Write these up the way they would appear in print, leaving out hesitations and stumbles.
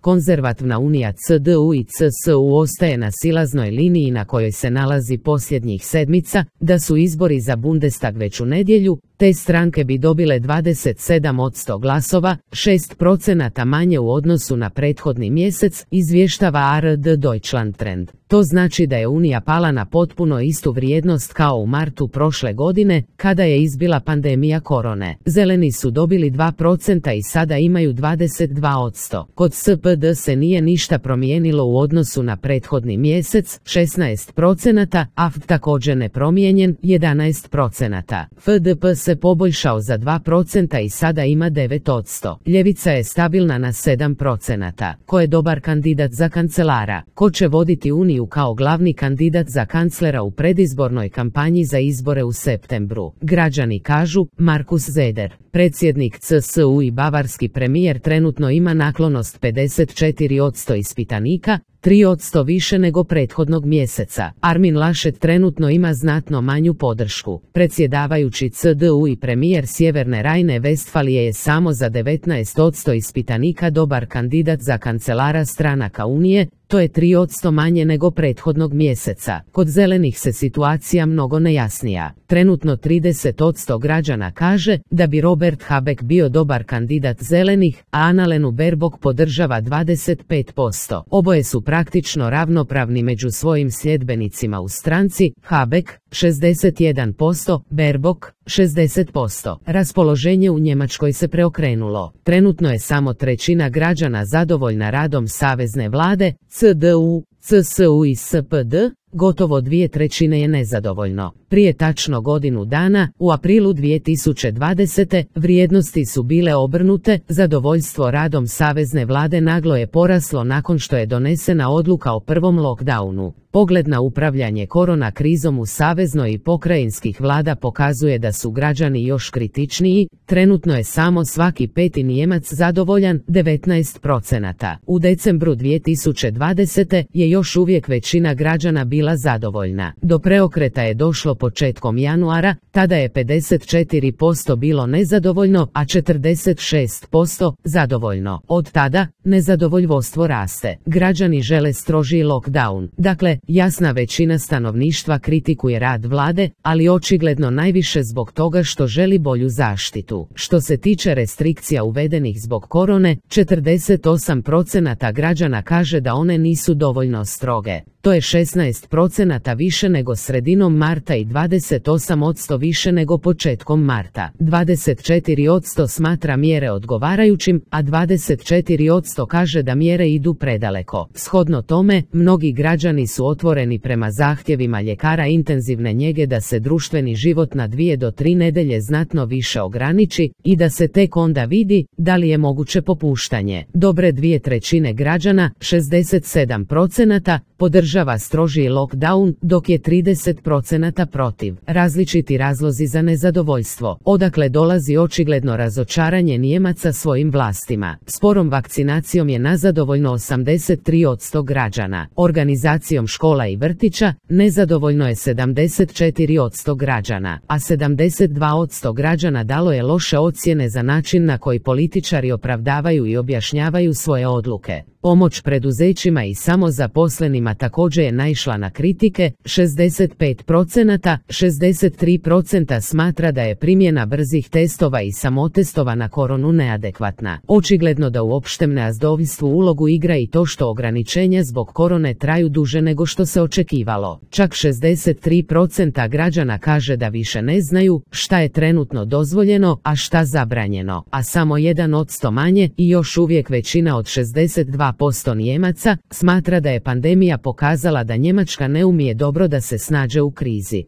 Konzervativna unija CDU i CSU ostaje na silaznoj liniji na kojoj se nalazi posljednjih sedmica, da su izbori za Bundestag već u nedjelju, te stranke bi dobile 27% glasova, 6% manje u odnosu na prethodni mjesec, izvještava ARD Deutschland Trend. To znači da je Unija pala na potpuno istu vrijednost kao u martu prošle godine, kada je izbila pandemija korone. Zeleni su dobili 2% i sada imaju 22%. Kod SPD se nije ništa promijenilo u odnosu na prethodni mjesec, 16%, AFD također nepromijenjen, 11%. FDP se poboljšao za 2% i sada ima 9%. Ljevica je stabilna na 7%. Ko je dobar kandidat za kancelara? Ko će voditi Uniju kao glavni kandidat za kanclera u predizbornoj kampanji za izbore u septembru? Građani kažu, Markus Söder. Predsjednik CSU i bavarski premijer trenutno ima naklonost 54% ispitanika, 3% više nego prethodnog mjeseca. Armin Laschet trenutno ima znatno manju podršku. Predsjedavajući CDU i premijer Sjeverne Rajne-Vestfalije je samo za 19% ispitanika dobar kandidat za kancelara stranaka Unije, to je 3% manje nego prethodnog mjeseca. Kod zelenih se situacija mnogo nejasnija. Trenutno 30% građana kaže da bi Robert Habeck bio dobar kandidat zelenih, a Annalenu Baerbock podržava 25%. Oboje su praktično ravnopravni među svojim sljedbenicima u stranci, Habeck 61%, Baerbock 60%. Raspoloženje u Njemačkoj se preokrenulo. Trenutno je samo trećina građana zadovoljna radom savezne vlade, CDU, CSU i SPD, gotovo 2/3 je nezadovoljno. Prije tačno godinu dana, u aprilu 2020. vrijednosti su bile obrnute, zadovoljstvo radom savezne vlade naglo je poraslo nakon što je donesena odluka o prvom lockdownu. Pogled na upravljanje korona krizom u saveznoj i pokrajinskih vlada pokazuje da su građani još kritičniji, trenutno je samo svaki peti Nijemac zadovoljan, 19%. U decembru 2020. je još uvijek većina građana bila zadovoljna. Do preokreta je došlo početkom januara, tada je 54% bilo nezadovoljno, a 46% zadovoljno. Od tada, nezadovoljstvo raste. Građani žele strožiji lockdown. Dakle, jasna većina stanovništva kritikuje rad vlade, ali očigledno najviše zbog toga što želi bolju zaštitu. Što se tiče restrikcija uvedenih zbog korone, 48% građana kaže da one nisu dovoljno stroge. To je 16% više nego sredinom marta i 28% više nego početkom marta. 24% smatra mjere odgovarajućim, a 24% kaže da mjere idu predaleko. Shodno tome, mnogi građani su otvoreni prema zahtjevima ljekara intenzivne njege da se društveni život na 2 do 3 nedelje znatno više ograniči i da se tek onda vidi da li je moguće popuštanje. Dobre 2/3 građana, 67%, podržava strožiji lockdown, dok je 30% protiv. Različiti razlozi za nezadovoljstvo. Odakle dolazi očigledno razočaranje Nijemaca svojim vlastima. Sporom vakcinacijom je nezadovoljno 83% građana. Organizacijom škola i vrtića nezadovoljno je 74% građana, a 72% građana dalo je loše ocjene za način na koji političari opravdavaju i objašnjavaju svoje odluke. Pomoć preduzećima i samozaposlenima također je naišla na kritike, 65%, 63% smatra da je primjena brzih testova i samotestova na koronu neadekvatna. Očigledno da u opštem nezadovoljstvu ulogu igra i to što ograničenja zbog korone traju duže nego što se očekivalo. Čak 63% građana kaže da više ne znaju šta je trenutno dozvoljeno, a šta zabranjeno, a samo 1% manje i još uvijek većina od 62% Nijemaca smatra da je pandemija pokazala da Njemačka ne umije dobro da se snađe u krizi.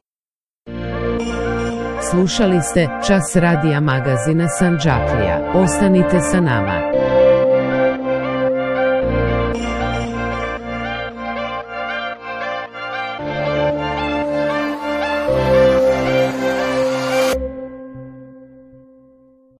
Slušali ste Čas radija magazina Sandžaklija. Ostanite sa nama.